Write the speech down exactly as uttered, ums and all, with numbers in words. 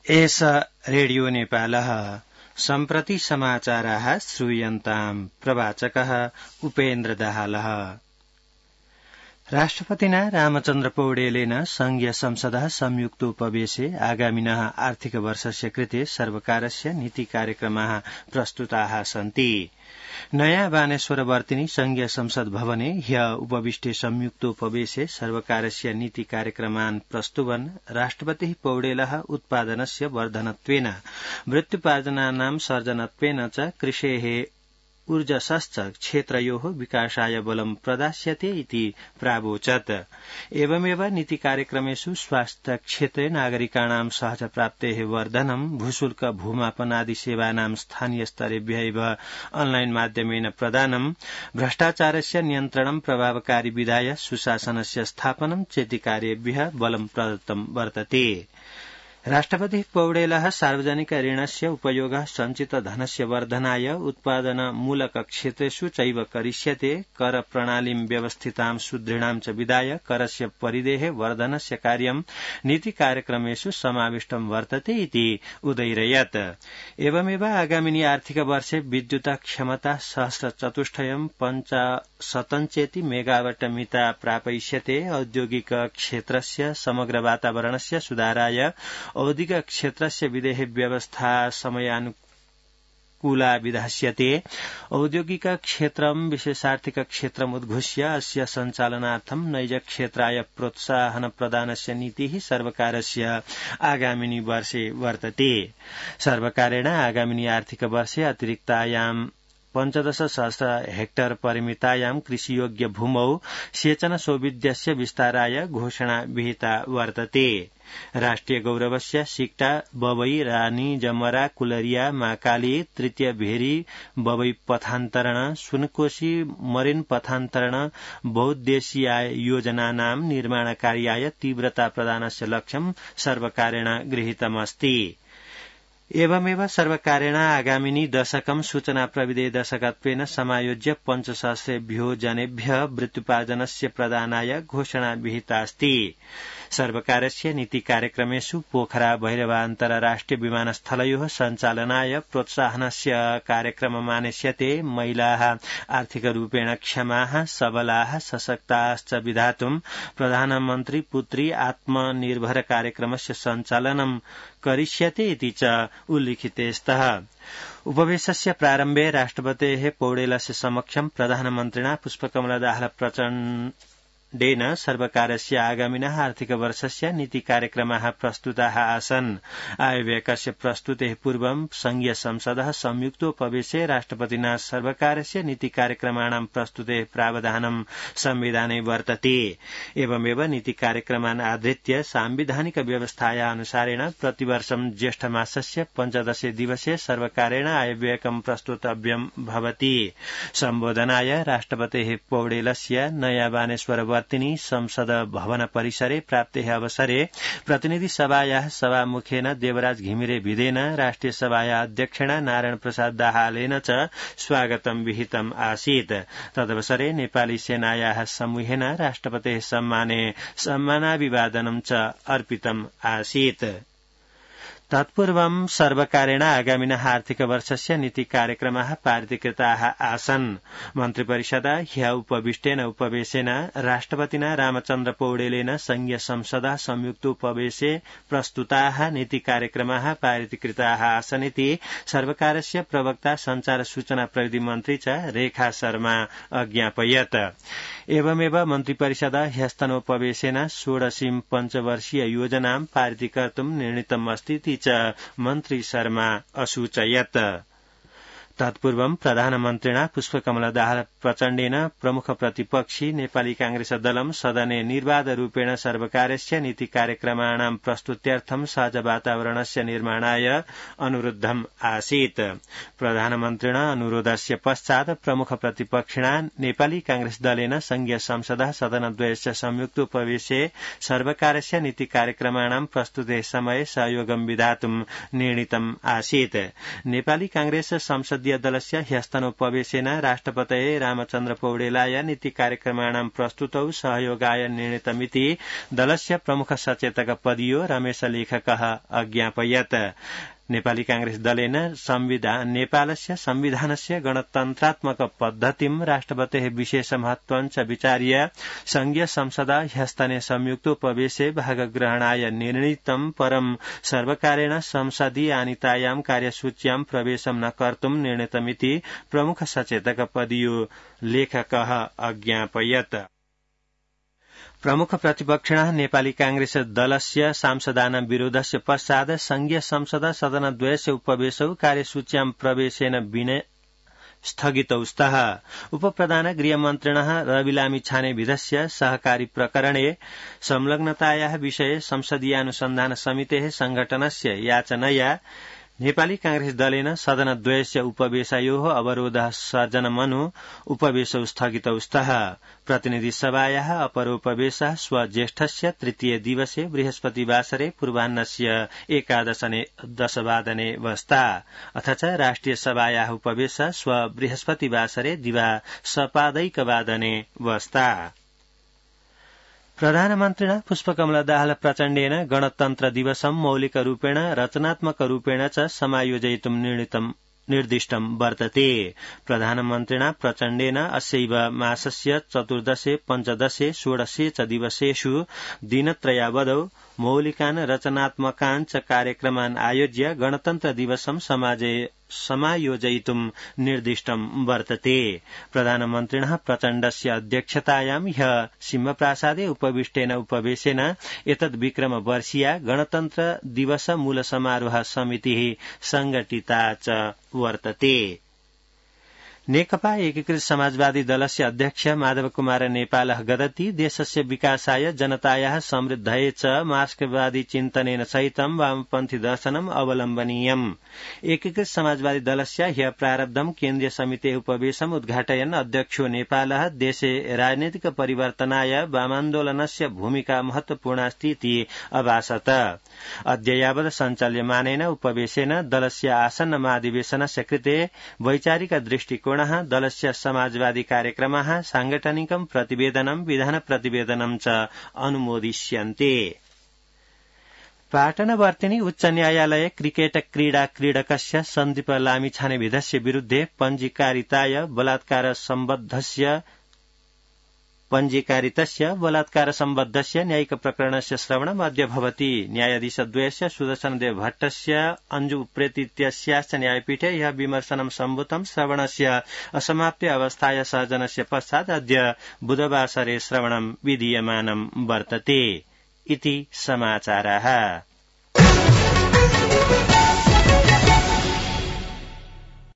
एष रेडियो नेपालः सम्प्रति समाचाराः श्रूयन्ताम् प्रवाचकः उपेन्द्र दाहालः। राष्ट्रपतिना रामचन्द्र पौडेलेन संघीय संसदः संयुक्तोपवेशे आगामिनः आर्थिक वर्षस्य कृते सर्वकारस्य नीति कार्यक्रमाः प्रस्तुताः सन्ति। नयाँ बानेश्वरवर्तिनी संघीय संसद भवने ह्य उपविष्टे संयुक्तोपवेशे सर्वकारस्य नीति कार्यक्रमान् प्रस्तुवन् राष्ट्रपतिः पौडेलः उत्पादनस्य वर्धनत्वेन वृत्त्युपार्जनानां सर्जनत्वेन च कृषेः ऊर्जसश्च क्षेत्रयोः विकासाय बलं प्रदास्यते इति प्रावोचत्। एवमेव नीति कार्यक्रमेषु स्वास्थ्य क्षेत्रे नागरिकाणां सहज प्राप्तेः वर्धनं, भूशुल्क भूमापनादि सेवानां स्थानीय स्तरेभ्यैव ऑनलाइन माध्यमेन प्रदानं, भ्रष्टाचारस्य नियन्त्रणं प्रभावकारी विधाय सुशासनस्य स्थापनं चेति कार्येभ्यः बलं प्रदत्तं वर्तते। राष्ट्रपतिः पौडेलः सार्वजनिक ऋणस्य उपयोगः सञ्चित धनस्य वर्धनाय उत्पादनमूलक क्षेत्रेषु चैव करिष्यते, कर प्रणालीं व्यवस्थितां सुदृढां च विधाय करस्य परिधेः वर्धनस्य कार्यं नीति कार्यक्रमेषु समाविष्टं वर्तते इति उदैरयत्। एवमेव आगामिनि आर्थिक वर्षे विद्युत क्षमता सहस्रचतुष्टयं पञ्चशतञ्चेति मेगावाट मिता प्रापयिष्यते। औद्योगिक क्षेत्रस्य समग्र वातावरणस्य सुधाराय औद्योगिक क्षेत्रस्य विधेः व्यवस्था समयानुकूला विधास्यते। औद्योगिक क्षेत्रं विशेषार्थिक क्षेत्रम् उद्घोष्य अस्य सञ्चालनार्थं नैज क्षेत्राय प्रोत्साहन प्रदानस्य नीतिः सर्वकारस्य आगामिनि वर्षे वर्तते। सर्वकारेण आगामिनि आर्थिक वर्षे अतिरिक्तायां पञ्चदश सहस्र हेक्टर परिमितायां कृषियोग्य भूमौ सेचन सौविध्यस्य विस्ताराय घोषणा विहिता वर्तते। राष्ट्रिय गौरवस्य सिक्टा बबई रानी जमरा कुलरिया माकाली तृतीय भेरी बबई पथान्तरण सुनकोशी मरिन पथान्तरण बहुद्देशीय योजनानां निर्माण कार्याय तीव्रता प्रदानस्य लक्ष्यं सर्वकारेण गृहीतमस्ति। एवमेव सर्वकारेण आगामिनि दशकं सूचना प्रविधि दशकत्वेन समायोज्य पञ्चसहस्रेभ्यो जनेभ्यः वृत्त्युपार्जनस्य प्रदानाय घोषणा विहितास्ति। सर्वकारस्य नीति कार्यक्रमेषु पोखरा भैरवा अन्तर्राष्ट्रिय विमानस्थलयोः सञ्चालनाय प्रोत्साहनस्य कार्यक्रममानेष्यते। महिलाः आर्थिकरूपेण क्षमाः सबलाः सशक्ताश्च विधातुं प्रधानमन्त्री पुत्री आत्मनिर्भर कार्यक्रमस्य सञ्चालनं करिष्यते इति च उल्लिखिते स्तः। उपवेशस्य प्रारम्भे राष्ट्रपतेः पौडेलस्य समक्षं प्रधानमन्त्रिणा पुष्पकमलदाहाल प्रचण्डेन सर्वकारस्य आगामिनः आर्थिक वर्षस्य नीति कार्यक्रमाः प्रस्तुताः आसन्। आयव्ययस्य प्रस्तुतेः पूर्वं संघीय संसदः संयुक्तोपवेशे राष्ट्रपतिना सर्वकारस्य नीति कार्यक्रमाणां प्रस्तुतेः प्रावधानं संविधाने वर्तते। एवमेव नीति कार्यक्रमान् आधृत्य सांविधानिक व्यवस्थाया अनुसारेण प्रतिवर्षं ज्येष्ठमासस्य पञ्चदशे दिवसे सर्वकारेण आयव्ययकं प्रस्तुतव्यं भवति। सम्बोधनाय राष्ट्रपतेः पौडेलस्य नयाँ बानेश्वर वर्तिनी संसद भवन परिसरे प्राप्तेः अवसरे प्रतिनिधि सभायाः सभामुखेन देवराज घिमिरे भिदेन राष्ट्रिय सभायाः अध्यक्षेण नारायण प्रसाद दाहालेन च स्वागतं विहितम् आसीत्। तदवसरे नेपाली सेनायाः समूहेन राष्ट्रपतेः सम्माने सम्मानाभिवादनं च अर्पितम् आसीत्। तत्पूर्वं सर्वकारेण आगामिनः आर्थिक वर्षस्य नीति कार्यक्रमाः पारितीकृताः आसन्। मन्त्रिपरिषदा ह्य उपविष्टेन उपवेशेन राष्ट्रपतिना रामचन्द्र पौडेलेन संघीय संसदः संयुक्तोपवेशे प्रस्तुताः नीति कार्यक्रमाः पारितीकृताः आसन् इति सर्वकारस्य प्रवक्ता संचार सूचना प्रविधि मन्त्री च रेखा शर्मा अज्ञापयत्। एवमेव मन्त्रिपरिषदा ह्यस्तनोपवेशेन षोडशीं पञ्चवर्षीय योजनां पारितीकर्तुं निर्णीतमस्ति च मन्त्री शर्मा असूचयत्। तत्पूर्वं प्रधानमन्त्रिणा पुष्पकमलदाहाल प्रचण्डेन प्रमुख प्रतिपक्षी नेपाली कांग्रेस दलं सदने निर्वाध रूपेण सर्वकारस्य नीति कार्यक्रमाणां प्रस्तुत्यर्थं सहज वातावरणस्य निर्माणाय अनुरुद्धम् आसीत्। प्रधानमन्त्रिणा अनुरोधस्य पश्चात् प्रमुख प्रतिपक्षिणा नेपाली कांग्रेस दलेन संघीय संसदः सदनद्वयस्य संयुक्तोपवेशे सर्वकारस्य नीति कार्यक्रमाणां प्रस्तुतेः समये सहयोगं विधातुं निर्णीतम् आसीत्। नेपाली कांग्रेस संसदीय संसदीय दलस्य ह्यस्तनोपवेशेन राष्ट्रपतये रामचन्द्र पौडेलाय नीति कार्यक्रमाणां प्रस्तुतौ सहयोगाय निर्णीतमिति दलस्य प्रमुख सचेतक पदीयो रमेश लेखकः अज्ञापयत्। नेपाली कांग्रेस दलेन संविधान नेपालस्य संविधानस्य गणतन्त्रात्मक पद्धतिं राष्ट्रपतेः विशेष महत्वं च विचार्य संघीय संसद ह्यस्तने संयुक्तोपवेशे भागग्रहणाय निर्णीतं परं सर्वकारेण संसदीय आनीतायां कार्यसूच्यां प्रवेशं न कर्तुं निर्णीतमिति प्रमुख सचेतक पदीयो लेखकः अज्ञापयत्। प्रमुख प्रतिपक्षिणः नेपाली कांग्रेस दलस्य सांसदानां विरोधस्य पश्चात् संघीय संसद सदनद्वयस्य उपवेशौ कार्यसूच्यां प्रवेशेन विना स्थगितौ स्तः। उपप्रधान गृहमन्त्रिणः रवि लामिछानेविधस्य सहकारी प्रकरणे संलग्नतायाः विषये संसदीयानुसन्धान समितेः संघटनस्य याचनया नेपाली कांग्रेस दलेन सदनद्वयस्य उपवेशयोः अवरोधः सर्जनमनु उपवेशौ स्थगितौ स्तः। प्रतिनिधि सभायाः अपरोपवेशः स्वज्येष्ठस्य तृतीय दिवसे बृहस्पतिवासरे पूर्वाह्नस्य एकादशने दशवादने वस्ता अथ च राष्ट्रिय सभायाः उपवेशः स्व बृहस्पतिवासरे दिवा सपादैकवादने वस्ता। प्रधानमन्त्रिणा पुष्पकमल दाहाल प्रचण्डेन गणतन्त्र दिवसं मौलिकरूपेण रचनात्मकरूपेण च समायोजयितुं निर्दिष्टं वर्तते। प्रधानमन्त्रिणा प्रचण्डेन अस्यैव मासस्य चतुर्दशे पञ्चदशे षोडशे च दिवसेषु दिनत्रयावधौ मौलिकान् रचनात्मकान् च कार्यक्रमान् आयोज्य गणतन्त्र दिवसं समायोजयितुं निर्दिष्टं वर्तते। प्रधानमन्त्रिणः प्रचण्डस्य अध्यक्षतायां ह्यः सिंहप्रासादे उपविष्टेन उपवेशेन एतद् विक्रमवर्षीया गणतन्त्र दिवस मूल समारोह समितिः संघटिता च वर्तते। नेकपा एकीकृत समाजवादी दलस्य अध्यक्ष माधव कुमार नेपालः गदति देशस्य विकासाय जनतायाः समृद्धये च मार्क्सवादी चिन्तनेन सहितं वामपन्थी दर्शनम् अवलम्बनीयम्। एकीकृत समाजवादी दलस्य ह्यः प्रारब्धं केन्द्रीय समितेः उपवेशम् उद्घाटयन् अध्यक्षो नेपालः देशे राजनैतिक परिवर्तनाय वामान्दोलनस्य भूमिका महत्वपूर्णास्ति इति अभाषत। अद्य यावत् सञ्चाल्यमानेन उपवेशेन दलस्य आसन्न महाधिवेशनस्य कृते वैचारिक दृष्टिकोण दलस्य समाजवादी कार्यक्रमाः सांगठनिकं प्रतिवेदनं विधान प्रतिवेदनं च अनुमोदिष्यन्ते। पाटनवर्तिनी उच्च न्यायालये क्रिकेट क्रीडा क्रीडकस्य सन्दीप लामिछानेविधस्य विरुद्धे पञ्जीकारिताय बलात्कार सम्बद्धस्य पञ्जीकारितस्य बलात्कार सम्बद्धस्य न्यायिक प्रकरणस्य श्रवणम् अद्य भवति। न्यायाधीशद्वयस्य सुदर्शनदेव भट्टस्य अंजु उप्रेतीत्यस्याश्च न्यायपीठे यः विमर्शनं सम्भूतं श्रवणस्य असमाप्य अवस्थाया सर्जनस्य पश्चात् अद्य बुधवासरे श्रवणं विधीयमानं वर्तते इति समाचाराः।